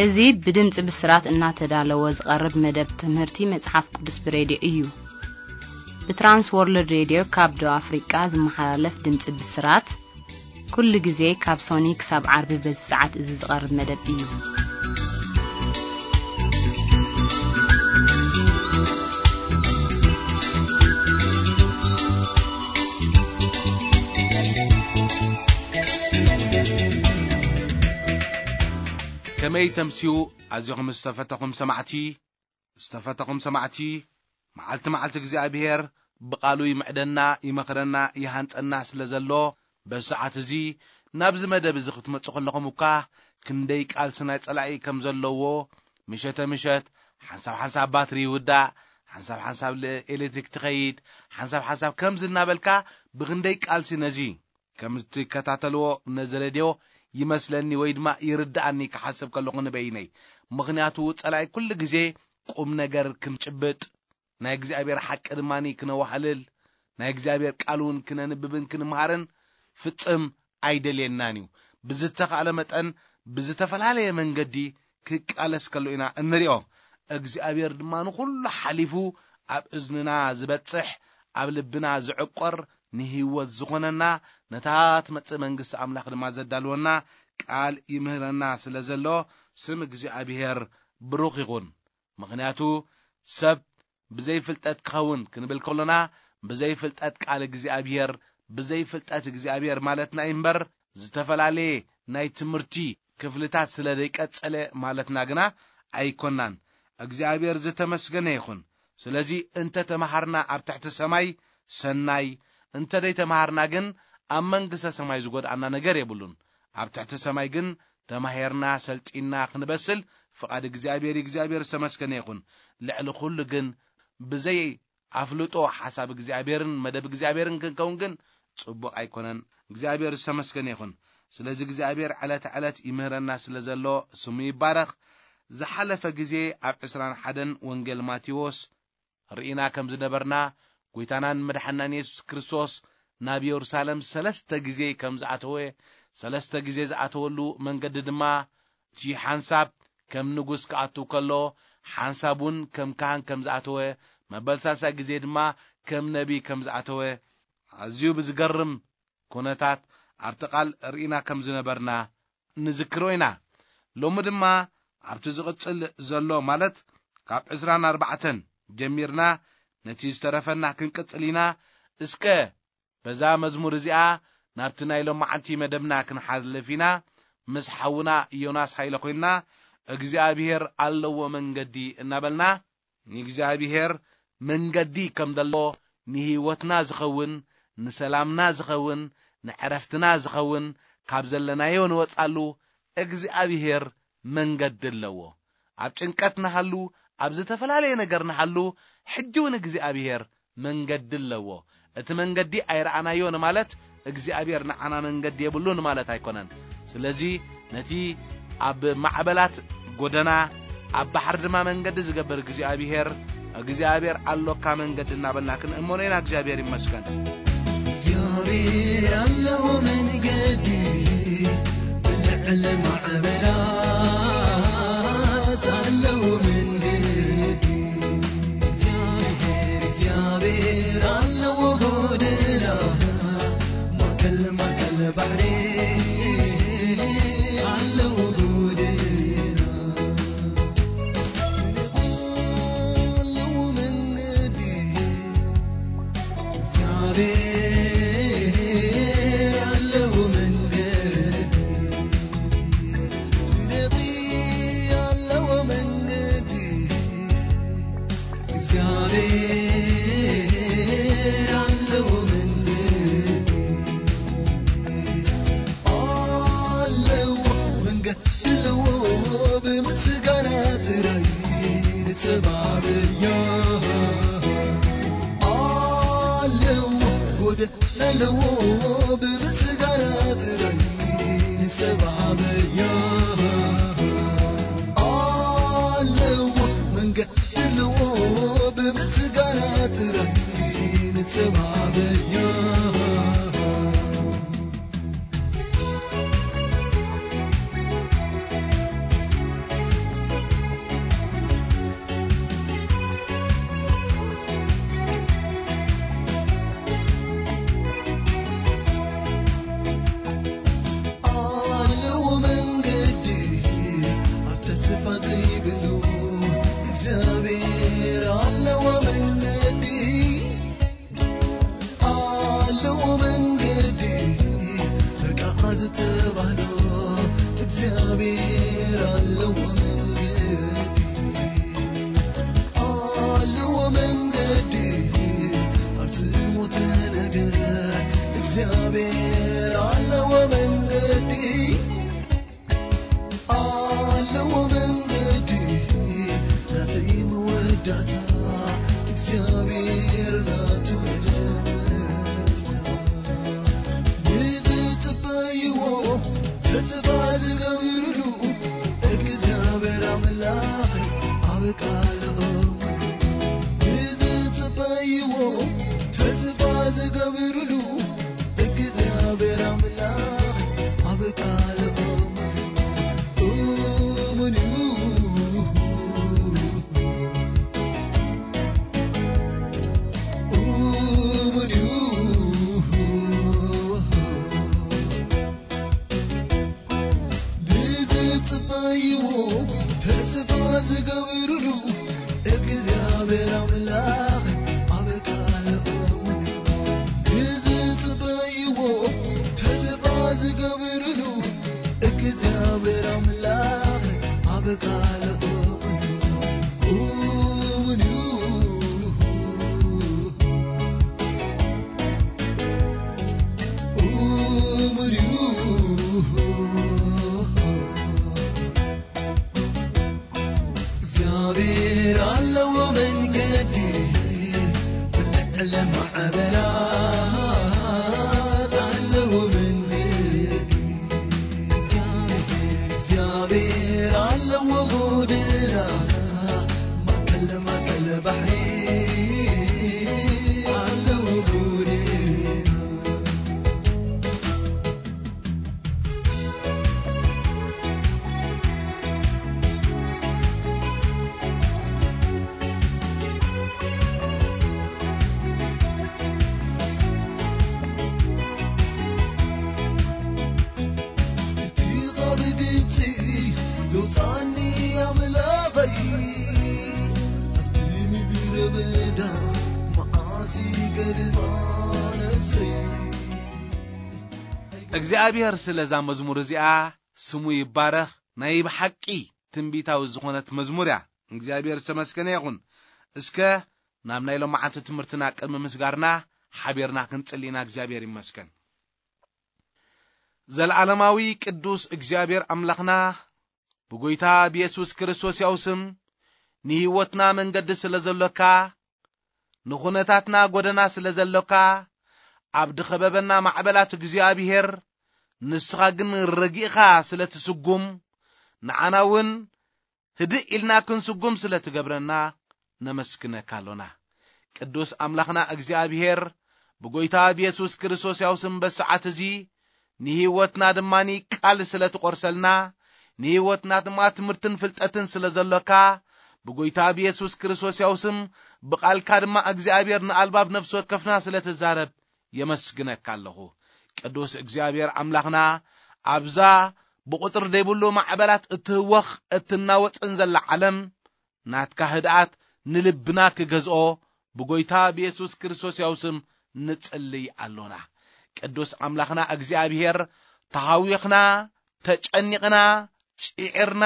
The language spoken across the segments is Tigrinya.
እዚ ብድምፂ ብስራት እናተዳለወ ዝቐርብ መደብ ትምህርቲ መጽሓፍ ቅዱስ ብሬድዮ እዩ። ብትራንስ ወርልድ ሬድዮ ካብ ደቡብ ኣፍሪቃ ዝመሓላለፍ ድምፂ ብስራት፣ ኩሉ ግዜ ካብ ሶኒ ክሳብ ዓርቢ በዚ ሰዓት እዚ ዝቐርብ መደብ እዩ። ከመይ ተምስዩ ኣዚኹም ዝተፈተኹም ሰማዕቲ፣ ዝተፈተኹም ሰማዕቲ፣ መዓልቲ መዓልቲ እግዚኣብሔር ብቓሉ ይምዕደና፣ ይመኽረና፣ ይሃንጸና ስለ ዘሎ፣ በዚ ሰዓት እዚ ናብዚ መደብ እዚ ክትመጹ ከለኹም እኳ ክንደይ ቃልሲ ናይ ጸላኢ ከም ዘለዎ፣ ምሸተ ምሸት ሓንሳብ ሓንሳብ ባትሪ ይውዳእ፣ ሓንሳብ ሓንሳብ ል-፣ ኤሌክትሪክ ትኸይድ፣ ሓንሳብ ሓንሳብ ከምዚ እናበልካ ብኽንደይ ቃልሲ ነዚ ከም እትከታተልዎ ነዚ ሬድዮ ይመስለኒ ወይ ድማ ይርድኣኒ ክሓስብ ከለኹ ንበይነይ። ምኽንያቱ ጸላኢ ኩሉ ግዜ ቁም ነገር ክንጭብጥ፣ ናይ እግዚኣብሔር ሓቂ ድማ ክነዋህልል፣ ናይ እግዚኣብሔር ቃል እውን ክነንብብን ክንምሃርን ፍጽም ኣይደልየናን እዩ። ብዝተኻእለ መጠን ብዝተፈላለየ መንገዲ ክቃለስ ከሎ ኢና እንሪኦ። እግዚኣብሔር ድማ ንኹሉ ሓሊፉ ኣብ እዝንና ዝበጽሕ፣ ኣብ ልብና ዝዕቆር፣ ንህይወት ዝኾነና፣ ነታ ትመጽእ መንግስቲ ኣምላኽ ድማ ዘዳልወና ቃል ይምህረና ስለ ዘሎ፣ ስም እግዚኣብሔር ብሩኽ ይኹን። ምኽንያቱ ሰብ ብዘይ ፍልጠት ክኸውን ክንብል ከሎና፣ ብዘይ ፍልጠት ቃል እግዚኣብሔር፣ ብዘይ ፍልጠት እግዚኣብሔር ማለትና እዩ እምበር፣ ዝተፈላለየ ናይ ትምህርቲ ክፍልታት ስለ ዘይቀጸለ ማለትና ግና ኣይኮናን። እግዚኣብሔር ዝተመስገነ ይኹን። ስለዚ እንተ ተመሃርና ኣብ ትሕቲ ሰማይ ሰናይ፣ እንተ ደይ ተመሃርና ግን ኣብ መንግስተ ሰማይ ዝጎድኣና ነገር የብሉን። ኣብ ትሕቲ ሰማይ ግን ተማሂርና ሰልጢና ክንበስል ፍቓድ እግዚኣብሔር እዩ። እግዚኣብሔር ዝተመስገነ ይኹን። ልዕሊ ኩሉ ግን ብዘይ ኣፍልጦ ሓሳብ እግዚኣብሔርን መደብ እግዚኣብሔርን ክንከውን ግን ጽቡቕ ኣይኮነን። እግዚኣብሔር ዝተመስገነ ይኹን። ስለዚ እግዚኣብሔር ዕለተ ዕለት ይምህረና ስለ ዘሎ ስሙ ይባረኽ። ዝሓለፈ ግዜ ኣብ ዕስራን ሓደን ወንጌል ማቴዎስ ርኢና ከም ዝነበርና፣ ጐይታናን መድሓናን የሱስ ክርስቶስ ናብ የሩሳሌም ሰለስተ ግዜ ከም ዝኣተወ፣ ሰለስተ ግዜ ዝኣተወሉ መንገዲ ድማ እቲ ሓንሳብ ከም ንጉስ ክኣቱ ከሎ፣ ሓንሳብ እውን ከም ካህን ከም ዝኣተወ፣ መበል ሳልሳይ ግዜ ድማ ከም ነቢ ከም ዝኣተወ፣ ኣዝዩ ብዝገርም ኩነታት ኣብቲ ቃል ርኢና ከም ዝነበርና ንዝክሮ ኢና። ሎሚ ድማ ኣብቲ ዝቕጽል ዘሎ፣ ማለት ካብ ዕስራን ኣርባዕተን ጀሚርና ነቲ ዝተረፈና ክንቅጽል ኢና። እስከ በዛ መዝሙር እዚኣ ናብቲ ናይ ሎማዓንቲ መደብና ክንሓልፍ ኢና። ምስ ሓውና ዮናስ ሃይለ ኮይንና፣ እግዚኣብሔር ኣለዎ መንገዲ እናበልና፣ ንእግዚኣብሔር መንገዲ ከም ዘለዎ፣ ንህይወትና ዝኸውን፣ ንሰላምና ዝኸውን፣ ንዕረፍትና ዝኸውን፣ ካብ ዘለናዮ ንወጻሉ እግዚኣብሔር መንገዲ ኣለዎ። ኣብ ጭንቀት ንሃሉ፣ ኣብ ዝተፈላለየ ነገር ንሃሉ፣ ሕጂ እውን እግዚኣብሔር መንገዲ ኣለዎ። እቲ መንገዲ ኣይረኣናዮ ንማለት እግዚኣብሔር ንዓና መንገዲ የብሉን ማለት ኣይኮነን። ስለዚ ነቲ ኣብ ማዕበላት ጎደና፣ ኣብ ባሕሪ ድማ መንገዲ ዝገብር እግዚኣብሔር፣ እግዚኣብሔር ኣሎካ መንገዲ እናበልና ክንእመኖ ኢና። እግዚኣብሔር ይመስገን። እግዚኣብሔር ኣለዎ መንገዲ፣ ብልዕሊ ማዕበላት ኣለዎ መንገዲ። እግዚኣብሔር ኣለዎ ጎደና፣ ማእከል ማእከል ባሕሪ ኣለዎ ጎደና። ኣለዎ መንገዲ፣ እግዚኣብሔር ኣለዎ መንገዲ፣ ጽድቂ ኣለዎ መንገዲ፣ እግዚኣብሔር ኣለዎ መንገዲ፣ ኣለዎ መንገዲ ኣለዎ፣ ብምስጋና ጥራይ ንጸባበዮ። ኣለዎ ጎደና ኣለዎ፣ ብምስጋና ጥራይ ንጸባበዮ። ኣለዎ መንገዲ ኣለዎ፣ ብምስጋና ጥራይ ንጸባበዮ። እግዚኣብሔር ኣምላኽ ኣብ ቃሉ ንዝጽበይዎ ተስፋ ዝገብርሉ እግዚኣብሔር ኣምላኽ ኣብ ቃሉ እሙን እዩ። እሙን እዩ። ንዝጽበይዎ ተስፋ ዝገብርሉ እግዚኣብሔር ኣምላኽ ኣብ ቃሉ እሙን እዩ። ንዝጽበይዎ ተስፋ ዝገብርሉ እግዚኣብሔር ኣምላኽ ኣብ ቃሉ እሙን እዩ። እሙን እዩ። እሙን እዩ። እግዚኣብሔር ኣለዎ መንገዲ፣ ልዕሊ ማዕበላት ኣለዎ መንገዲ። እግዚኣብሔር ኣለዎ ጎደና፣ ማእከል ማእከል ባሕሪ ኣለዎ ጎደና። እቲ ኻብ ግብጺ ዘውጽኣኒ ኣምላኸይ፣ ኣብቲ ምድረ በዳ መዓስ ይገድፋ ነፍሰይ። እግዚኣብሔር ስለዛ መዝሙር እዚኣ ስሙ ይባረኽ። ናይ ብሓቂ ትንቢታዊ ዝኾነት መዝሙር እያ። እግዚኣብሔር ዝተመስገነ ይኹን። እስከ ናብ ናይ ሎማዓንቲ ትምህርትና ቅድሚ ምስጋርና ሓቢርና ክንጽሊ ኢና። እግዚኣብሔር ይመስገን። ዘለዓለማዊ ቅዱስ እግዚኣብሔር ኣምላኽና፣ ብጎይታ ብየሱስ ክርስቶስ ያው ስም ንህይወትና መንገዲ ስለ ዘሎካ፣ ንኹነታትና ጎደና ስለ ዘሎካ፣ ኣብ ድኸበበና ማዕበላት እግዚኣብሔር ንስኻ ግን ረጊእኻ ስለ ትስጉም፣ ንዓና እውን ህድእ ኢልና ክንስጉም ስለ ትገብረና ነመስግነካ ኣሎና። ቅዱስ ኣምላኽና እግዚኣብሔር፣ ብጎይታ ብየሱስ ክርስቶስ ያው ስም በሰዓት እዚ ንህይወትና ድማ ቃል ስለ ትቖርሰልና፣ ንህይወትና ድማ ትምህርትን ፍልጠትን ስለ ዘሎካ፣ ብጎይታ ብየሱስ ክርስቶስ ያው ስም ብቓልካ ድማ እግዚኣብሔር ንኣልባብ ነፍሲ ወከፍና ስለ ትዛረብ የመስግነካ ኣለኹ። ቅዱስ እግዚኣብሔር ኣምላኽና፣ ኣብዛ ብቑጽሪ ዘይብሉ ማዕበላት እትህወኽ እትናወጽን ዘላ ዓለም፣ ናትካ ህድኣት ንልብና ክገዝኦ ብጎይታ ብየሱስ ክርስቶስ ያው ስም ንጽልይ ኣሎና። ቅዱስ ኣምላኽና እግዚኣብሔር፣ ተሃዊኽና፣ ተጨኒቕና፣ ጽዒርና፣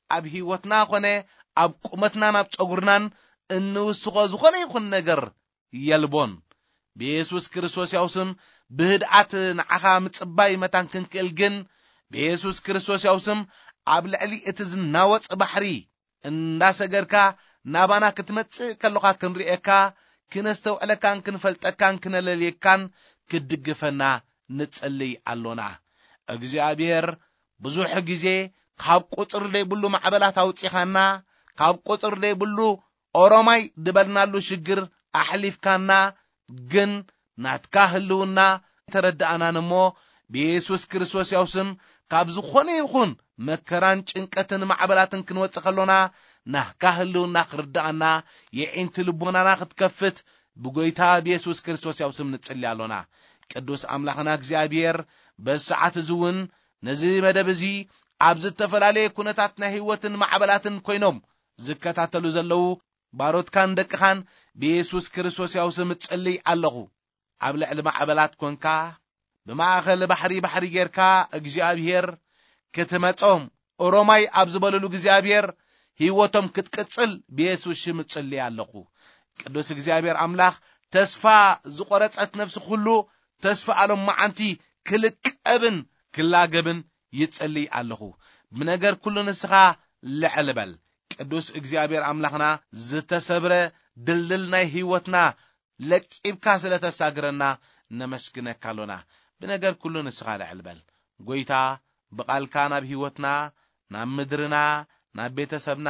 ኣብ ህይወትና ኾነ ኣብ ቁመትናን ኣብ ጸጉርናን እንውስኾ ዝኾነ ይኹን ነገር የልቦን። ብየሱስ ክርስቶስ ያው ስም ብህድኣት ንዓኻ ምጽባይ መታን ክንክእል ግን፣ ብየሱስ ክርስቶስ ያው ስም ኣብ ልዕሊ እቲ ዝናወጽ ባሕሪ እንዳሰገድካ ናባና ክትመጽእ ከለኻ ክንርእየካ፣ ክነስተውዕለካን ክንፈልጠካን ክነለልየካን ክትድግፈና ንጽልይ ኣሎና። እግዚኣብሔር ብዙሕ ግዜ ካብ ቁጽሪ ዘይብሉ ማዕበላት ኣውጺኻና፣ ካብ ቁጽሪ ዘይብሉ ኦሮማይ ዝበልናሉ ሽግር ኣሕሊፍካና፣ ግን ናትካ ህልውና ተረዳእናን እሞ፣ ብየሱስ ክርስቶስ ያው ስም ካብ ዝኾነ ይኹን መከራን ጭንቀትን ማዕበላትን ክንወጽእ ከሎና፣ ናትካ ህልውና ክርዳኣና፣ የዒንቲ ልቦናና ክትከፍት ብጎይታ ብየሱስ ክርስቶስ ያው ስም ንጽሊ ኣሎና። ቅዱስ ኣምላኽና እግዚኣብሔር፣ በዚ ሰዓት እዚ እውን ነዚ መደብ እዚ ኣብ ዝተፈላለየ ኩነታት ናይ ህይወትን ማዕበላትን ኮይኖም ዝከታተሉ ዘለዉ ባሮትካን ደቅኻን ብየሱስ ክርስቶስ ያው ስም እጽልይ ኣለኹ። ኣብ ልዕሊ ማዕበላት ኮንካ፣ ብማእኸል ባሕሪ ባሕሪ ጌርካ እግዚኣብሔር ክትመጾም፣ ኦሮማይ ኣብ ዝበልሉ እግዚኣብሔር ህይወቶም ክትቅጽል ብየሱስ ሽም እጽልይ ኣለኹ። ቅዱስ እግዚኣብሔር ኣምላኽ፣ ተስፋ ዝቖረጸት ነፍሲ ኩሉ ተስፋ ኣሎም መዓንቲ ክልቀብን ክላገብን ይጽልይ ኣለኹ። ብነገር ኩሉ ንስኻ ልዕል በል። ቅዱስ እግዚኣብሔር ኣምላኽና፣ ዝተሰብረ ድልድል ናይ ህይወትና ለቂብካ ስለ ተሳግረና ነመስግነካ ኣሎና። ብነገር ኩሉ ንስኻ ልዕል በል። ጎይታ ብቓልካ ናብ ህይወትና፣ ናብ ምድርና፣ ናብ ቤተሰብና፣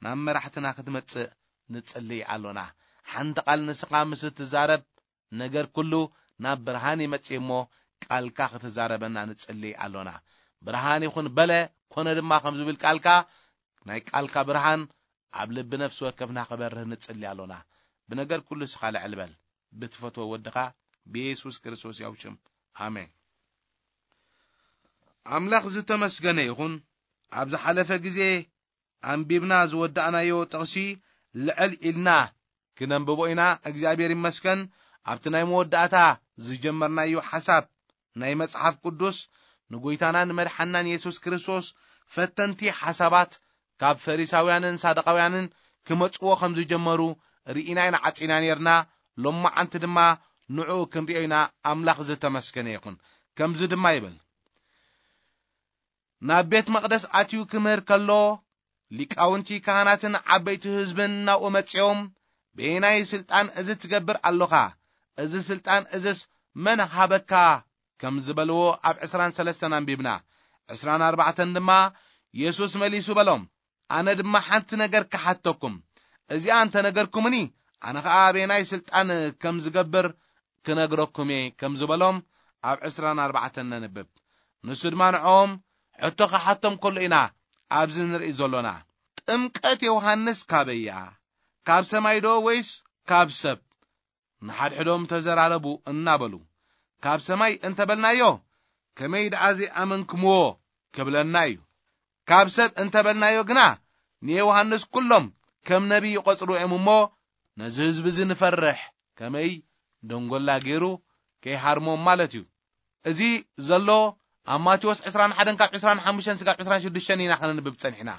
ናብ መራሕትና ክትመጽእ ንጽልይ ኣሎና። ሓንቲ ቃል ንስኻ ምስ እትዛረብ፣ ነገር ኩሉ ናብ ብርሃን ይመጽእ እሞ፣ ቃልካ ክትዛረበና ንጽልይ ኣሎና። ብርሃን ይኹን በለ፣ ኮነ ድማ ከም ዝብል ቃልካ፣ ናይ ቃልካ ብርሃን ኣብ ልቢ ነፍሲ ወከፍና ክበርህ ንጽሊ ኣሎና። ብነገር ኩሉ እስኻ ልዕል በል። ብትፈትዎ ወድኻ ብየሱስ ክርስቶስ ያው ሽም። ኣሜን። ኣምላኽ ዝተመስገነ ይኹን። ኣብ ዝሓለፈ ግዜ ኣንቢብና ዝወዳእናዮ ጥቕሲ ልዕል ኢልና ክነንብቦ ኢና። እግዚኣብሔር ይመስገን። ኣብቲ ናይ መወዳእታ ዝጀመርናዮ ሓሳብ ናይ መጽሓፍ ቅዱስ፣ ንጎይታናን መድሓናን የሱስ ክርስቶስ ፈተንቲ ሓሳባት ካብ ፈሪሳውያንን ሳዱቃውያንን ክመጽዎ ከም ዝጀመሩ ርኢና ኢና፣ ዓጺና ነርና። ሎማዓንቲ ድማ ንዕኡ ክንሪኦ ኢና። ኣምላኽ ዝተመስገነ ይኹን። ከምዚ ድማ ይብል፣ ናብ ቤት መቕደስ ኣትዩ ክምህር ከሎ፣ ሊቃውንቲ ካህናትን ዓበይቲ ህዝብን ናብኡ መጺኦም፣ "በየናይ ስልጣን እዚ ትገብር ኣሎኻ? እዚ ስልጣን እዝስ መን ሃበካ?" ከም ዝበልዎ ኣብ ዕስራን ሰለስተን ኣንቢብና። ዕስራን ኣርባዕተን ድማ፣ የሱስ መሊሱ በሎም፣ "ኣነ ድማ ሓንቲ ነገር ክሓተኩም፣ እዚኣ እንተ ነገርኩምኒ፣ ኣነ ኸኣ በየናይ ስልጣን ከም ዝገብር ክነግረኩም እየ" ከም ዝበሎም ኣብ ዕስራን ኣርባዕተን ነንብብ። ንሱ ድማ ንዕኦም ሕቶ ክሓቶም ከሎ ኢና ኣብዚ ንርኢ ዘሎና። "ጥምቀት ዮሃንስ ካበይ እያ? ካብ ሰማይ ዶ ወይስ ካብ ሰብ?" ንሓድሕዶም ተዘራረቡ እናበሉ፣ "ካብ ሰማይ እንተበልናዮ፣ ከመይ ደኣ ዘይኣመንክምዎ ክብለና እዩ። ካብ ሰብ እንተበልናዮ ግና፣ ንዮሃንስ ኩሎም ከም ነቢይ ይቖጽሩ እዮም እሞ፣ ነዚ ህዝቢ እዚ ንፈርሕ፣ ከመይ ደንጎላ ገይሩ ከይሃርሞም ማለት እዩ።" እዚ ዘሎ ኣብ ማቴዎስ ዕስራን ሓደን ካብ ዕስራን ሓሙሽተን ስጋብ ዕስራን ሽዱሽተን ኢና ከነንብብ ጸኒሕና።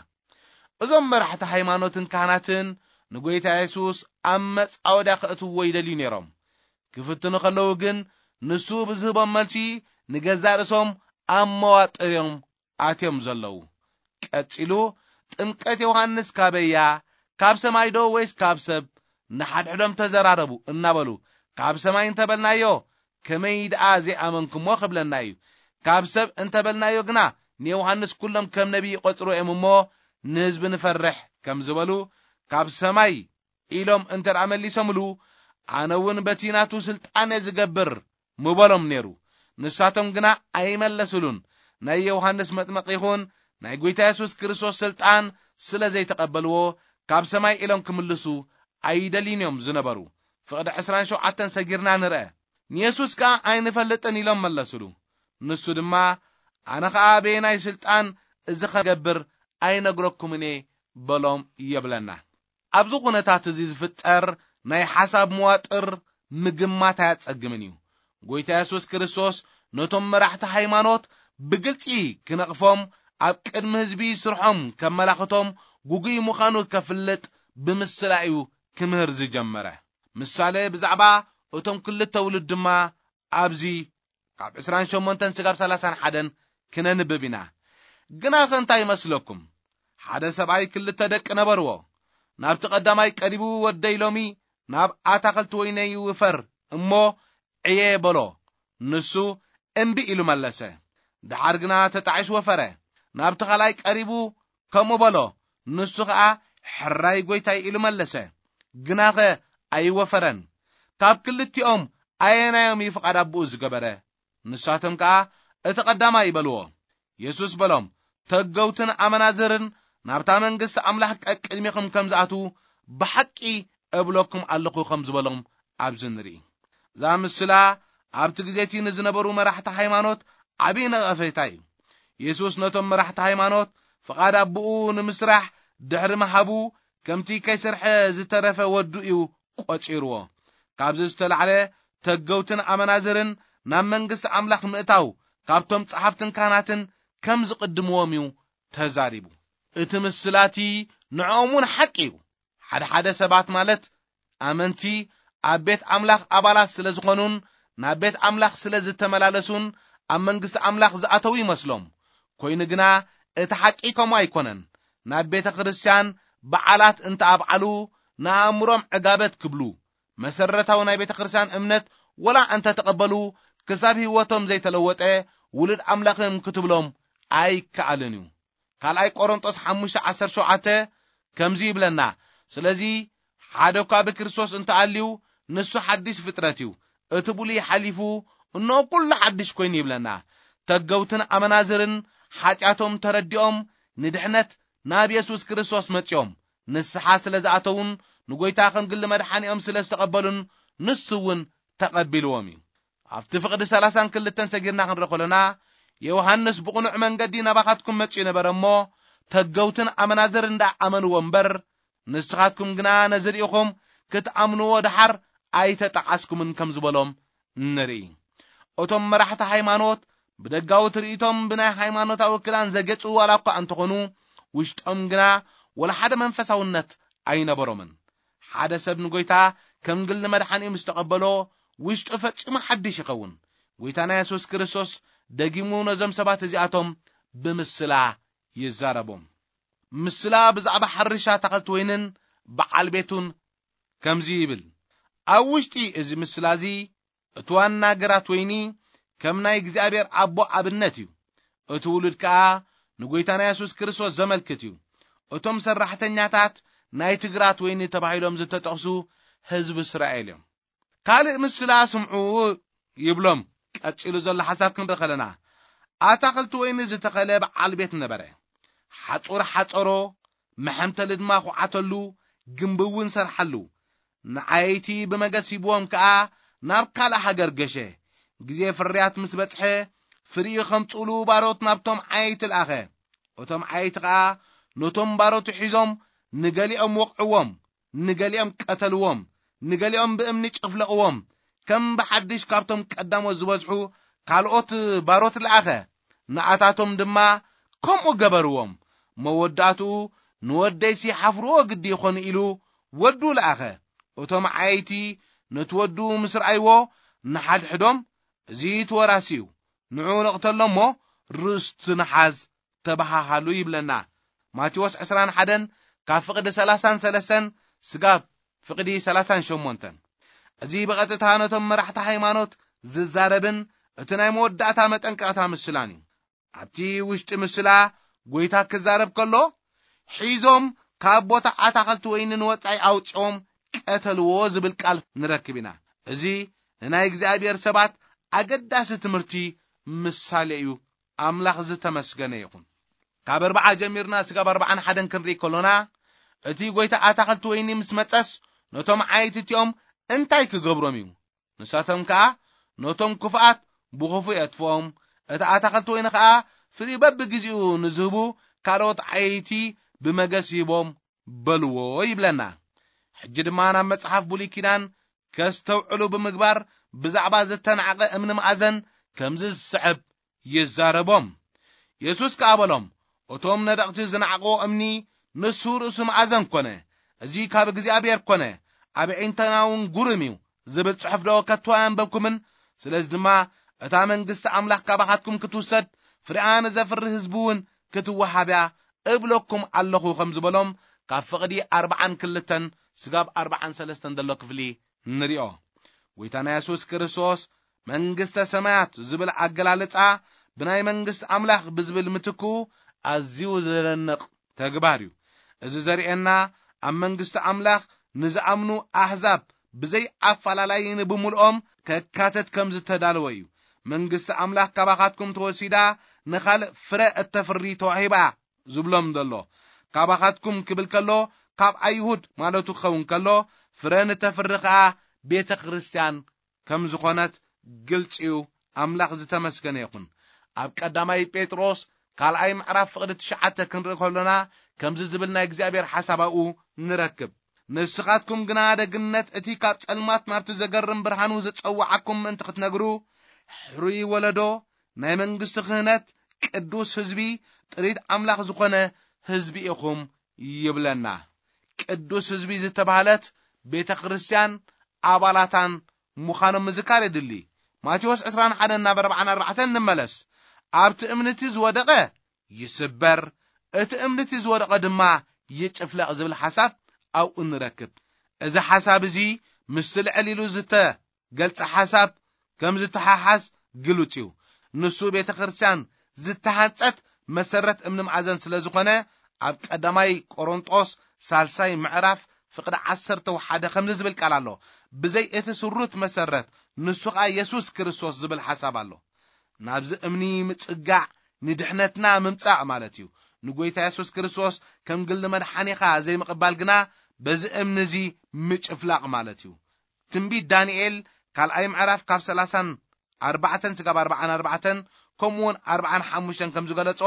እዞም መራሕቲ ሃይማኖትን ካህናትን ንጎይታ የሱስ ኣብ መጻወድያ ከእትውዎ ይደልዩ ነይሮም። ክፍትኑ ከለዉ ግን፣ ንሱ ብዝህቦም መልሲ ንገዛእ ርእሶም ኣብ መዋጥር እዮም ኣትዮም ዘለዉ። ቀጺሉ፣ "ጥምቀት ዮሃንስ ካበይ እያ? ካብ ሰማይ ዶ ወይስ ካብ ሰብ?" ንሓድሕዶም ተዘራረቡ እናበሉ፣ "ካብ ሰማይ እንተበልናዮ፣ ከመይ ደኣ ዘይኣመንኩሞ ክብለና እዩ። ካብ ሰብ እንተበልናዮ ግና፣ ንዮሃንስ ኩሎም ከም ነቢይ ይቖጽሩ እዮም እሞ፣ ንህዝቢ ንፈርሕ" ከም ዝበሉ፣ "ካብ ሰማይ" ኢሎም እንተ ደኣ መሊሶምሉ፣ "ኣነ እውን በቲ ናቱ ስልጣን እየ ዝገብር" ምበሎም ነይሩ። ንሳቶም ግና ኣይመለስሉን። ናይ ዮሃንስ መጥመቂ ይኹን ናይ ጎይታ የሱስ ክርስቶስ ስልጣን ስለ ዘይተቐበልዎ፣ ካብ ሰማይ ኢሎም ክምልሱ ኣይደልዩን እዮም ዝነበሩ። ፍቕዲ ዕስራን ሸውዓተን ሰጊርና ንርአ። ንየሱስ ከኣ ኣይንፈልጥን ኢሎም መለስሉ። ንሱ ድማ፣ "ኣነ ኸኣ በየናይ ስልጣን እዚ ኸገብር ኣይነግረኩምን እየ" በሎም የብለና። ኣብዚ ኩነታት እዚ ዝፍጠር ናይ ሓሳብ መዋጥር ምግማት ኣያጸግምን እዩ። ጎይታ የሱስ ክርስቶስ ነቶም መራሕቲ ሃይማኖት ብግልጺ ክነቕፎም፣ ኣብ ቅድሚ ህዝቢ ስርሖም ከመላኽቶም፣ ጉጉይ ምዃኑ ከፍልጥ ብምስላ እዩ ክምህር ዝጀመረ። ምሳሌ ብዛዕባ እቶም ክልተ ውሉድ ድማ ኣብዚ ካብ ዕስራን ሸሞንተን ስጋብ ሰላሳን ሓደን ክነንብብ ኢና። ግናኸ እንታይ ይመስለኩም? ሓደ ሰብኣይ ክልተ ደቂ ነበርዎ። ናብቲ ቀዳማይ ቀሪቡ፣ "ወደይ ሎሚ ናብ ኣታኽልቲ ወይነይ ውፈር እሞ ዕየ" በሎ። ንሱ እምቢ ኢሉ መለሰ። ደሓር ግና ተጣዒሱ ወፈረ። ናብቲ ካልኣይ ቀሪቡ ከምኡ በሎ። ንሱ ኸኣ፣ "ሕራይ ጐይታይ" ኢሉ መለሰ። ግናኸ ኣይወፈረን። ካብ ክልቲኦም ኣየናዮም እዩ ፍቓድ ኣቦኡ ዝገበረ? ንሳቶም ከኣ፣ "እቲ ቀዳማይ" በልዎ። የሱስ በሎም፣ "ተገውትን ኣመናዝርን ናብታ መንግስቲ ኣምላኽ ቀቅድሚኹም ከም ዝኣትዉ ብሓቂ እብለኩም ኣለኹ" ከም ዝበሎም ኣብዚ ንርኢ። እዛ ምስላ ኣብቲ ግዜ እቲ ንዝነበሩ መራሕቲ ሃይማኖት ዓቢ ነቐፌታ እዩ። የሱስ ነቶም መራሕቲ ሃይማኖት ፍቓድ ኣቦኡ ንምስራሕ ድሕሪ ምሃቡ፣ ከምቲ ከይሰርሐ ዝተረፈ ወዱ እዩ ቆጺርዎ። ካብዚ ዝተላዕለ፣ ተገውትን ኣመናዝርን ናብ መንግስቲ ኣምላኽ ምእታው ካብቶም ጸሓፍትን ካህናትን ከም ዝቕድምዎም እዩ ተዛሪቡ። እቲ ምስላ እቲ ንዕኦም እውን ሓቂ እዩ። ሓደ ሓደ ሰባት፣ ማለት ኣመንቲ፣ ኣብ ቤት ኣምላኽ ኣባላት ስለ ዝኾኑን ናብ ቤት ኣምላኽ ስለ ዝተመላለሱን ኣብ መንግስቲ ኣምላኽ ዝኣተዉ ይመስሎም። ኮይኑ ግና እቲ ሓቂ ከምኡ ኣይኮነን። ናብ ቤተ ክርስቲያን በዓላት እንተ ኣብዓሉ፣ ንኣእምሮም ዕጋበት ክብሉ፣ መሰረታዊ ናይ ቤተ ክርስቲያን እምነት ወላ እንተ ተቐበሉ፣ ክሳብ ህይወቶም ዘይተለወጠ ውሉድ ኣምላኽ እዮም ክትብሎም ኣይከኣልን እዩ። ካልኣይ ቆሮንጦስ ሓሙሽተ ዓሰርተ ሸውዓተ ከምዚ ይብለና፣ ስለዚ ሓደ እኳ ብክርስቶስ እንተኣልዩ፣ ንሱ ሓድሽ ፍጥረት እዩ፣ እቲ ብሉይ ሓሊፉ፣ እነሆ ኩሉ ሓድሽ ኮይኑ ይብለና። ተገውትን ኣመናዝርን ሓጢኣቶም ተረዲኦም፣ ንድሕነት ናብ የሱስ ክርስቶስ መጺኦም፣ ንስሓ ስለ ዝኣተዉን ንጎይታ ከም ግሊ መድሓኒኦም ስለ ዝተቐበሉን፣ ንሱ እውን ተቐቢልዎም እዩ። ኣብቲ ፍቕዲ ሰላሳን ክልተን ሰጊርና ክንርኢ ከሎና፣ ዮሃንስ ብቕኑዕ መንገዲ ናባኻትኩም መጺኡ ነበረ እሞ፣ ተገውትን ኣመናዝር እንዳ ኣመንዎ እምበር፣ ንስኻትኩም ግና ነዚ ርኢኹም ክትኣምንዎ ደሓር ኣይተጠዓስኩምን ከም ዝበሎም ንርኢ። እቶም መራሕቲ ሃይማኖት ብደጋዊ ትርኢቶም ብናይ ሃይማኖታዊ ክዳን ዘጌጹ ዋላ እኳ እንተኾኑ፣ ውሽጦም ግና ወላ ሓደ መንፈሳውነት ኣይነበሮምን። ሓደ ሰብ ንጎይታ ከም ግሊ መድሓኒኡ ምስ ተቐበሎ፣ ውሽጡ ፈጺሙ ሓድሽ ይኸውን። ጎይታና የሱስ ክርስቶስ ደጊሙ ነዞም ሰባት እዚኣቶም ብምስላ ይዛረቦም። ምስላ ብዛዕባ ሓርሻ ኣታኽልቲ ወይንን በዓል ቤቱን ከምዚ ይብል፣ ኣብ ውሽጢ እዚ ምስላ እዚ እቲ ዋና ግራት ወይኒ ከም ናይ እግዚኣብሔር ኣቦ ኣብነት እዩ። እቲ ውሉድ ከኣ ንጎይታና የሱስ ክርስቶስ ዘመልክት እዩ። እቶም ሰራሕተኛታት ናይቲ ግራት ወይኒ ተባሂሎም ዝተጠቕሱ ህዝቢ እስራኤል እዮም። ካልእ ምስላ ስምዑ ይብሎም። ቀጺሉ ዘሎ ሓሳብ ክንርኢ ከለና፣ ኣታኽልቲ ወይኒ ዝተኸለ በዓል ቤት ነበረ። ሓጹር ሓጸሮ፣ መሐምተሊ ድማ ኹዓተሉ፣ ግምቢ እውን ሰርሓሉ። ንዓየይቲ ብመገስ ሂብዎም ከኣ ናብ ካልእ ሃገር ገሸ። ግዜ ፍርያት ምስ በጽሐ፣ ፍሪኡ ኸምጽኡሉ ባሮት ናብቶም ዓየይቲ ለኣኸ። እቶም ዓየይቲ ኸኣ ነቶም ባሮቱ ሒዞም፣ ንገሊኦም ወቕዕዎም፣ ንገሊኦም ቀተልዎም፣ ንገሊኦም ብእምኒ ጨፍለቕዎም። ከም ብሓድሽ ካብቶም ቀዳሞት ዝበዝሑ ካልኦት ባሮት ለኣኸ። ንኣታቶም ድማ ከምኡ ገበርዎም። መወዳእትኡ ንወደይሲ ሓፍርዎ ግዲ ይኾኑ ኢሉ ወዱ ለኣኸ። እቶም ዓየይቲ ነቲ ወዱ ምስ ረኣይዎ፣ ንሓድሕዶም፣ "እዚ እቲ ወራሲ እዩ፣ ንዑ ንቕተሎ እሞ ርስቱ ንሓዝ" ተበሃሃሉ ይብለና። ማቴዎስ ዕስራን ሓደን ካብ ፍቕዲ ሰላሳን ሰለስተን ስጋብ ፍቕዲ ሰላሳን ሸሞንተን። እዚ ብቐጥታ ነቶም መራሕቲ ሃይማኖት ዝዛረብን እቲ ናይ መወዳእታ መጠንቀቕታ ምስላን እዩ። ኣብቲ ውሽጢ ምስላ ጎይታ ክዛረብ ከሎ፣ "ሒዞም ካብ ቦታ ኣታኽልቲ ወይኒ ንወጻኢ ኣውጺኦም ቀተልዎ" ዝብል ቃል ንረክብ ኢና። እዚ ንናይ እግዚኣብሔር ሰባት ኣገዳሲ ትምህርቲ ምሳሌ እዩ። ኣምላኽ ዝተመስገነ ይኹን። ካብ ኣርብዓ ጀሚርና ስጋብ ኣርብዓን ሓደን ክንርኢ ከሎና፣ እቲ ጎይታ ኣታኽልቲ ወይኒ ምስ መጸስ፣ ነቶም ዓየይቲ እቲኦም እንታይ ክገብሮም እዩ? ንሳቶም ከኣ ነቶም ክፉኣት ብኽፉእ የጥፍኦም፣ እቲ ኣታኽልቲ ወይኒ ከኣ ፍሪኡ በብግዜኡ ንዝህቡ ካልኦት ዓየይቲ ብመገስ ይህቦም በልዎ ይብለና። ሕጂ ድማ ናብ መጽሓፍ ብሉይ ኪዳን ከስተውዕሉ ብምግባር ብዛዕባ ዝተናዕቐ እምኒ መኣዘን ከምዚ ዝስዕብ ይዛረቦም። የሱስ ከኣ በሎም፣ "እቶም ነደቕቲ ዝነዓቕዎ እምኒ ንሱ ርእሱ መኣዘን ኮነ። እዚ ካብ እግዚኣብሔር ኮነ፣ ኣብ ኣዒንትና እውን ግሩም እዩ" ዝብል ጽሑፍ ዶ ከቶ ኣየንበብኩምን? ስለዚ ድማ እታ መንግስቲ ኣምላኽ ካባኻትኩም ክትውሰድ ፍሬኣ ንዘፍሪ ህዝቢ እውን ክትወሃብ እያ እብለኩም ኣለኹ ከም ዝበሎም ካብ ፍቕዲ ኣርብዓን ክልተን ስጋብ ኣርብዓን ሰለስተን ዘሎ ክፍሊ ንሪኦ። ጎይታና የሱስ ክርስቶስ መንግስተ ሰማያት ዝብል ኣገላልጻ ብናይ መንግስቲ ኣምላኽ ብዝብል ምትክኡ ኣዝዩ ዘደንቕ ተግባር እዩ። እዚ ዘርእየና ኣብ መንግስቲ ኣምላኽ ንዝኣምኑ ኣህዛብ ብዘይ ኣፈላላይ ንብምልኦም ከካተት ከም ዝተዳለወ እዩ። መንግስቲ ኣምላኽ ካባኻትኩም ተወሲዳ ንኻልእ ፍረ እተፍሪ ተዋሂባ ዝብሎም ዘሎ። ካባኻትኩም ክብል ከሎ ካብ ኣይሁድ ማለቱ ክኸውን ከሎ፣ ፍረ ንተፍሪ ኸኣ ቤተ ክርስቲያን ከም ዝኾነት ግልጺ እዩ። ኣምላኽ ዝተመስገነ ይኹን። ኣብ ቀዳማይ ጴጥሮስ ካልኣይ ምዕራፍ ፍቕዲ ትሽዓተ ክንርኢ ከሎና ከምዚ ዝብል ናይ እግዚኣብሔር ሓሳብ ኣብኡ ንረክብ። "ንስኻትኩም ግና ደግነት እቲ ካብ ጸልማት ናብቲ ዘገርም ብርሃኑ ዝጸውዓኩም ምእንቲ ክትነግሩ፣ ሕሩይ ወለዶ፣ ናይ መንግስቲ ክህነት፣ ቅዱስ ህዝቢ፣ ጥሪት ኣምላኽ ዝኾነ ህዝቢ ኢኹም" ይብለና። ቅዱስ ህዝቢ ዝተባህለት ቤተ ክርስቲያን ኣባላታን ምዃኖም ምዝካር የድሊ። ማቴዎስ ዕስራን ሓደን ናብ ኣርባዓን ኣርባዕተን ንመለስ። "ኣብቲ እምኒ እቲ ዝወደቐ ይስበር፣ እቲ እምኒ እቲ ዝወደቐ ድማ ይጭፍለቕ" ዝብል ሓሳብ ኣብኡ ንረክብ። እዚ ሓሳብ እዚ ምስቲ ልዕል ኢሉ ዝተገልጸ ሓሳብ ከም ዝተሓሓዝ ግሉጽ እዩ። ንሱ ቤተ ክርስቲያን ዝተሃንጸት መሰረት እምኒ መኣዘን ስለ ዝኾነ፣ ኣብ ቀዳማይ ቆሮንጦስ ሳልሳይ ምዕራፍ ፍቕዲ ዓሰርተ ሓደ ከምዚ ዝብል ቃል ኣሎ። ብዘይ እቲ ስሩት መሰረት፣ ንሱ ኸኣ የሱስ ክርስቶስ ዝብል ሓሳብ ኣሎ። ናብዚ እምኒ ምጽጋዕ ንድሕነትና ምምጻእ ማለት እዩ። ንጎይታ የሱስ ክርስቶስ ከም ግሊ መድሓኒኻ ዘይምቕባል ግና በዚ እምኒ እዚ ምጭፍላቕ ማለት እዩ። ትንቢት ዳንኤል ካልኣይ ምዕራፍ ካብ ሰላሳን ኣርባዕተን ስጋብ ኣርባዓን ኣርባዕተን፣ ከምኡ እውን ኣርባዓን ሓሙሽተን ከም ዝገለጾ፣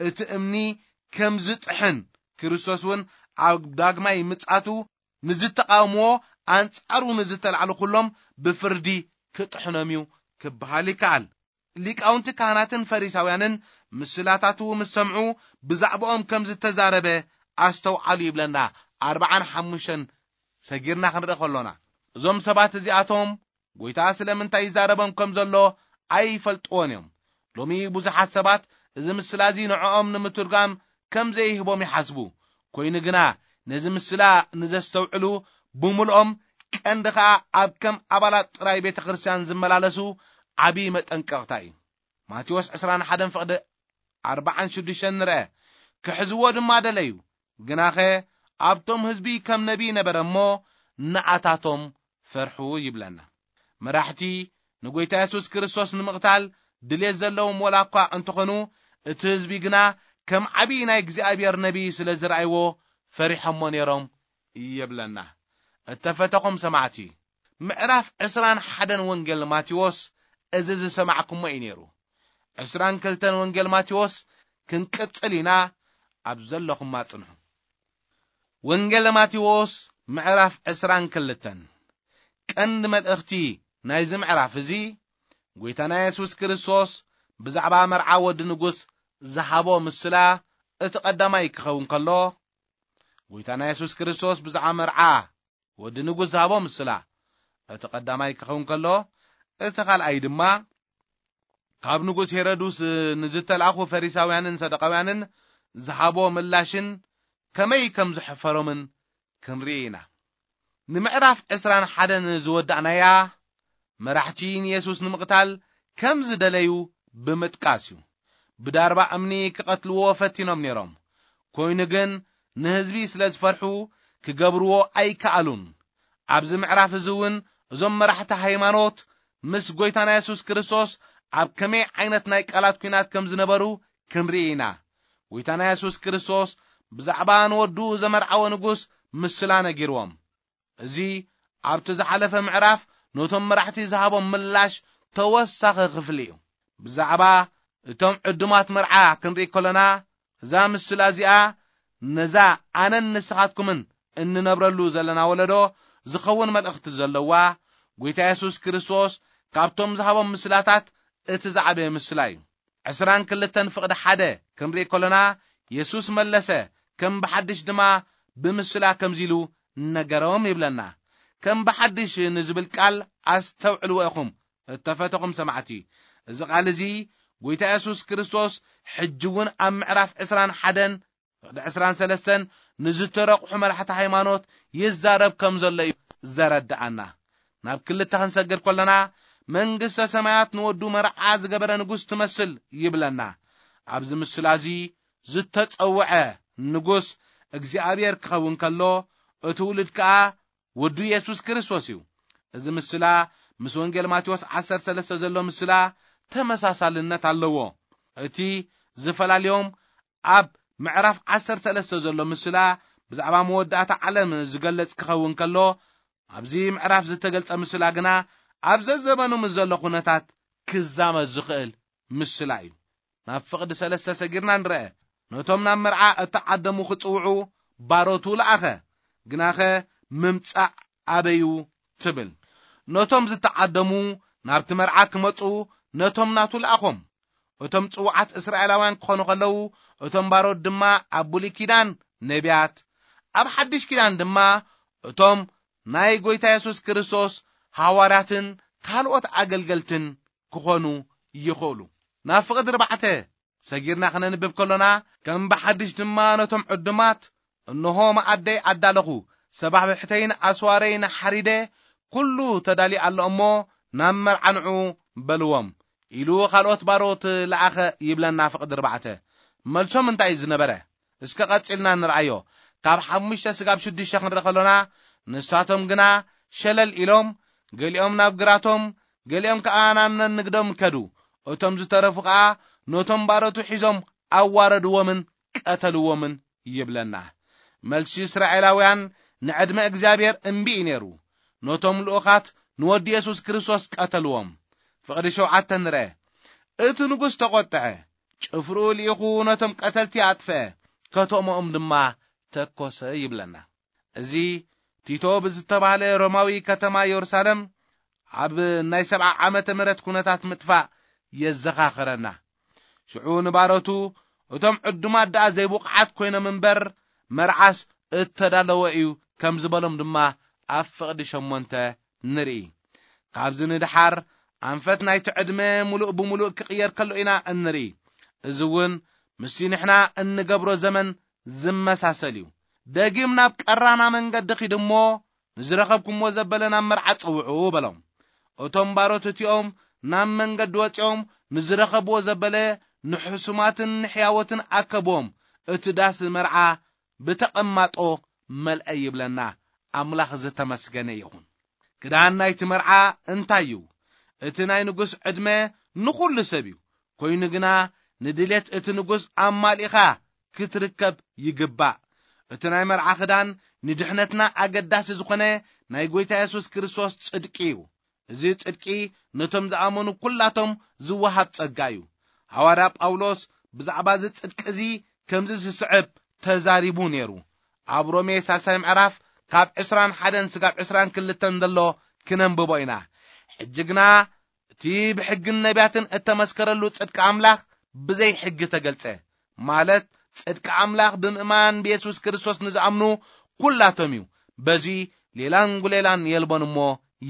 እቲ እምኒ ከም ዝጥሕን፣ ክርስቶስ እውን ኣብ ዳግማይ ምጻቱ ንዝተቃወምዎ፣ ኣንጻሩ ንዝተላዕሉ ኩሎም ብፍርዲ ክጥሕኖም እዩ ክበሃል ይከኣል። ሊቃውንቲ ካህናትን ፈሪሳውያንን ምስላታቱ ምስ ሰምዑ፣ ብዛዕባኦም ከም ዝተዛረበ ኣስተውዓሉ ይብለና። ኣርባዓን ሓሙሽተን ሰጊርና ክንርኢ ከሎና፣ እዞም ሰባት እዚኣቶም ጎይታ ስለምንታይ ይዛረቦም ከም ዘሎ ኣይፈልጥዎን እዮም። ሎሚ ብዙሓት ሰባት እዚ ምስላ እዚ ንዕኦም ንምትርጓም ከም ዘይህቦም ይሓስቡ። ኮይኑ ግና፣ ነዚ ምስላ ንዘስተውዕሉ ብምልኦም፣ ቀንዲ ኸኣ ኣብ ከም ኣባላት ጥራይ ቤተ ክርስቲያን ዝመላለሱ ዓቢ መጠንቀቕታ እዩ። ማቴዎስ ዕስራን ሓደን ፍቕዲ ኣርባዓን ሽዱሽተን ንርአ። ክሕዝዎ ድማ ደለዩ፣ ግናኸ ኣብቶም ህዝቢ ከም ነቢይ ነበረ እሞ፣ ንኣታቶም ፈርሑ ይብለና። መራሕቲ ንጎይታ የሱስ ክርስቶስ ንምቕታል ድሌት ዘለዎም ወላ እኳ እንተኾኑ፣ እቲ ህዝቢ ግና ከም ዓቢ ናይ እግዚኣብሔር ነቢይ ስለ ዝረኣይዎ፣ ፈሪሖሞ ነይሮም ይብለና። እተፈተኹም ሰማዕቲ፣ ምዕራፍ ዕስራን ሓደን ወንጌል ማቴዎስ እዚ ዝሰማዕኩሞ እዩ ነይሩ። ዕስራን ክልተን ወንጌል ማቴዎስ ክንቅጽል ኢና። ኣብ ዘለኹማ ጽንሑ። ወንጌል ማቴዎስ ምዕራፍ ዕስራን ክልተን። ቀንዲ መልእኽቲ ናይዚ ምዕራፍ እዚ፣ ጎይታና የሱስ ክርስቶስ ብዛዕባ መርዓ ወዲ ንጉስ ዝሃቦ ምስላ እቲ ቀዳማይ ክኸውን ከሎ፣ ጎይታና የሱስ ክርስቶስ ብዛዕባ መርዓ ወዲ ንጉስ ዝሃቦ ምስላ እቲ ቀዳማይ ክኸውን ከሎ፣ እቲ ካልኣይ ድማ ካብ ንጉስ ሄሮድስ ንዝተላእኹ ፈሪሳውያንን ሰዱቃውያንን ዝሃቦ ምላሽን ከመይ ከም ዘሕፈሮምን ክንርኢ ኢና። ንምዕራፍ ዕስራን ሓደን ዝወዳእናያ፣ መራሕቲ ንየሱስ ንምቕታል ከም ዝደለዩ ብምጥቃስ እዩ። ብዳርባ እምኒ ክቐትልዎ ፈቲኖም ነይሮም። ኮይኑ ግን፣ ንህዝቢ ስለ ዝፈርሑ፣ ክገብርዎ ኣይከኣሉን። ኣብዚ ምዕራፍ እዚ እውን፣ እዞም መራሕቲ ሃይማኖት ምስ ጎይታና የሱስ ክርስቶስ ኣብ ከመይ ዓይነት ናይ ቃላት ኲናት ከም ዝነበሩ ክንርኢ ኢና። ጎይታና የሱስ ክርስቶስ ብዛዕባ ንወዱ ዘመርዓወ ንጉስ ምስላ ነጊርዎም። እዚ ኣብቲ ዝሓለፈ ምዕራፍ ነቶም መራሕቲ ዝሃቦም ምላሽ ተወሳኺ ክፍሊ እዩ። ብዛዕባ እቶም ዕዱማት መርዓ ክንርኢ ከለና፣ እዛ ምስላ እዚኣ ነዛ ኣነን ንስኻትኩምን እንነብረሉ ዘለና ወለዶ ዝኸውን መልእኽቲ ዘለዋ፣ ጎይታ የሱስ ክርስቶስ ካብቶም ዝሃቦም ምስላታት እቲ ዝዓበየ ምስላ እዩ። ዕስራን ክልተን ፍቕዲ ሓደ ክንርኢ ከሎና፣ የሱስ መለሰ፣ ከም ብሓድሽ ድማ ብምስላ ከምዚ ኢሉ ነገሮም ይብለና። ከም ብሓድሽ ንዝብል ቃል ኣስተውዕልዎ ኢኹም፣ እተፈተኹም ሰማዕቲ። እዚ ቃል እዚ፣ ጎይታ የሱስ ክርስቶስ ሕጂ እውን ኣብ ምዕራፍ ዕስራን ሓደን ፍቕዲ ዕስራን ሰለስተን ንዝተረቑሑ መራሕቲ ሃይማኖት ይዛረብ ከም ዘሎ እዩ ዘረድኣና። ናብ ክልተ ክንሰግር ከለና፣ መንግስተ ሰማያት ንወዱ መርዓ ዝገበረ ንጉስ ትመስል ይብለና። ኣብዚ ምስላ እዚ ዝተጸውዐ ንጉስ እግዚኣብሔር ክኸውን ከሎ፣ እቲ ውሉድ ከኣ ወዱ የሱስ ክርስቶስ እዩ። እዚ ምስላ ምስ ወንጌል ማቴዎስ ዓሰርተ ሰለስተ ዘሎ ምስላ ተመሳሳልነት ኣለዎ። እቲ ዝፈላልዮም ኣብ ምዕራፍ ዓሰርተ ሰለስተ ዘሎ ምስላ ብዛዕባ መወዳእታ ዓለም ዝገልጽ ክኸውን ከሎ፣ ኣብዚ ምዕራፍ ዝተገልጸ ምስላ ግና ኣብ ዘዘበኑ ምስ ዘሎ ኩነታት ክዛመድ ዝኽእል ምስላ እዩ። ናብ ፍቕዲ ሰለስተ ሰጊርና ንርአ። ነቶም ናብ መርዓ እተዓደሙ ክጽውዑ ባሮቱ ለኣኸ። ግናኸ ምምጻእ ኣበዩ ትብል። ነቶም ዝተዓደሙ ናብቲ መርዓ ክመጹ ነቶም ናቱ ለኣኾም። እቶም ጽዉዓት እስራኤላውያን ክኾኑ ከለዉ፣ እቶም ባሮት ድማ ኣብ ብሉይ ኪዳን ነቢያት፣ ኣብ ሓድሽ ኪዳን ድማ እቶም ናይ ጎይታ የሱስ ክርስቶስ ሃዋርያትን ካልኦት ኣገልገልትን ክኾኑ ይኽእሉ። ናብ ፍቕዲ ኣርባዕተ ሰጊርና ክነንብብ ከሎና፣ ከም ብሓድሽ ድማ ነቶም ዕዱማት፣ "እንሆ መኣደይ ኣዳለኹ፣ ሰባብሕተይን ኣስዋረይን ሓሪደ፣ ኩሉ ተዳልዩ ኣሎ እሞ፣ ናብ መርዓ ንዑ በልዎም" ኢሉ ካልኦት ባሮት ለኣኸ ይብለና ፍቕዲ ኣርባዕተ። መልሶም እንታይ እዩ ዝነበረ? እስከ ቀጺልና ንርኣዮ። ካብ ሓሙሽተ ስጋብ ሽዱሽተ ክንርኢ ከሎና፣ ንሳቶም ግና ሸለል ኢሎም፣ ገሊኦም ናብ ግራቶም፣ ገሊኦም ከኣ ናብ ነንግዶም ከዱ። እቶም ዝተረፉ ከኣ ነቶም ባሮቱ ሒዞም ኣዋረድዎምን ቀተልዎምን ይብለና። መልሲ እስራኤላውያን ንዕድመ እግዚኣብሔር እምቢ እዩ ነይሩ። ነቶም ልኡኻት ንወዲ የሱስ ክርስቶስ ቀተልዎም። ፍቕዲ ሸውዓተ ንርአ። እቲ ንጉስ ተቖጥዐ፣ ጭፍርኡ ልኢኹ ነቶም ቀተልቲ ኣጥፍአ፣ ከተሞኦም ድማ ተኮሰ ይብለና። እዚ ቲቶ ብዝተባህለ ሮማዊ ከተማ የሩሳሌም ኣብ ናይ ሰብዓ ዓመተ ምህረት ኩነታት ምጥፋእ የዘኻኽረና። ሽዑ ንባሮቱ፣ እቶም ዕዱማት ደኣ ዘይብቑዓት ኮይኖም እምበር፣ መርዓስ እተዳለወ እዩ ከም ዝበሎም ድማ ኣብ ፍቕዲ ሸሞንተ ንርኢ። ካብዚ ንድሓር ኣንፈት ናይቲ ዕድመ ምሉእ ብምሉእ ክቕየር ከሎ ኢና እንርኢ። እዚ እውን ምስቲ ንሕና እንገብሮ ዘመን ዝመሳሰል እዩ። ደጊም ናብ ቀራና መንገዲ ኺድ እሞ፣ ንዝረኸብኩምዎ ዘበለ ናብ መርዓ ጽውዑ በሎም። እቶም ባሮት እቲኦም ናብ መንገዲ ወጺኦም ንዝረኸብዎ ዘበለ ንሕሱማትን ንሕያወትን ኣከብዎም። እቲ ዳስ መርዓ ብተቐማጦ መልአ ይብለና። ኣምላኽ ዝተመስገነ ይኹን። ክዳን ናይቲ መርዓ እንታይ እዩ? እቲ ናይ ንጉስ ዕድመ ንኹሉ ሰብ እዩ። ኮይኑ ግና ንድሌት እቲ ንጉስ ኣማሊኻ ክትርከብ ይግባእ። እቲ ናይ መርዓ ክዳን ንድሕነትና ኣገዳሲ ዝኾነ ናይ ጎይታ የሱስ ክርስቶስ ጽድቂ እዩ። እዚ ጽድቂ ነቶም ዝኣመኑ ኩላቶም ዝወሃብ ጸጋ እዩ። ሃዋርያ ጳውሎስ ብዛዕባ እዚ ጽድቂ እዚ ከምዚ ዝስዕብ ተዛሪቡ ነይሩ። ኣብ ሮሜ ሳልሳይ ምዕራፍ ካብ ዕስራን ሓደን ስጋብ ዕስራን ክልተን ዘሎ ክነንብቦ ኢና። ሕጂ ግና እቲ ብሕግን ነቢያትን እተመስከረሉ ጽድቂ ኣምላኽ ብዘይ ሕጊ ተገልጸ፣ ማለት ጽድቂ ኣምላኽ ብምእማን ብየሱስ ክርስቶስ ንዝኣምኑ ኩላቶም እዩ። በዚ ሌላን ጉሌላን የልቦን እሞ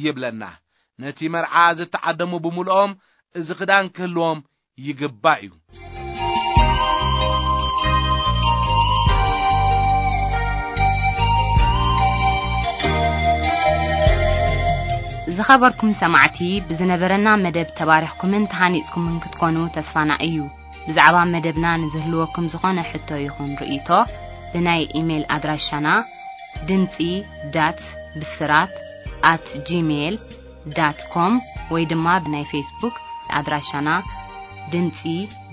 ይብለና። ነቲ መርዓ ዝተዓደሙ ብምልኦም እዚ ክዳን ክህልዎም ይግባእ እዩ። ዝኸበርኩም ሰማዕቲ፣ ብዝነበረና መደብ ተባሪኽኩምን ተሃኒጽኩምን ክትኮኑ ተስፋና እዩ። ብዛዕባ መደብና ንዝህልወኩም ዝኾነ ሕቶ ይኹን ርእይቶ፣ ብናይ ኢሜይል ኣድራሻና ድምጺ ዳት ብስራት ኣት ጂሜይል ዳት ኮም ወይ ድማ ብናይ ፌስቡክ ኣድራሻና ድምጺ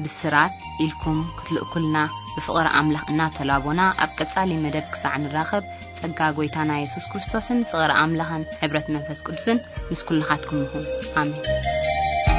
ብስራት ኢልኩም ክትልእኩልና ብፍቕሪ ኣምላኽ እናተላቦና፣ ኣብ ቀጻሊ መደብ ክሳዕ ንራኸብ፣ ጸጋ ጎይታና የሱስ ክርስቶስን ፍቕሪ ኣምላኽን ሕብረት መንፈስ ቅዱስን ምስ ኩልኻትኩም ይኹን። ኣሜን።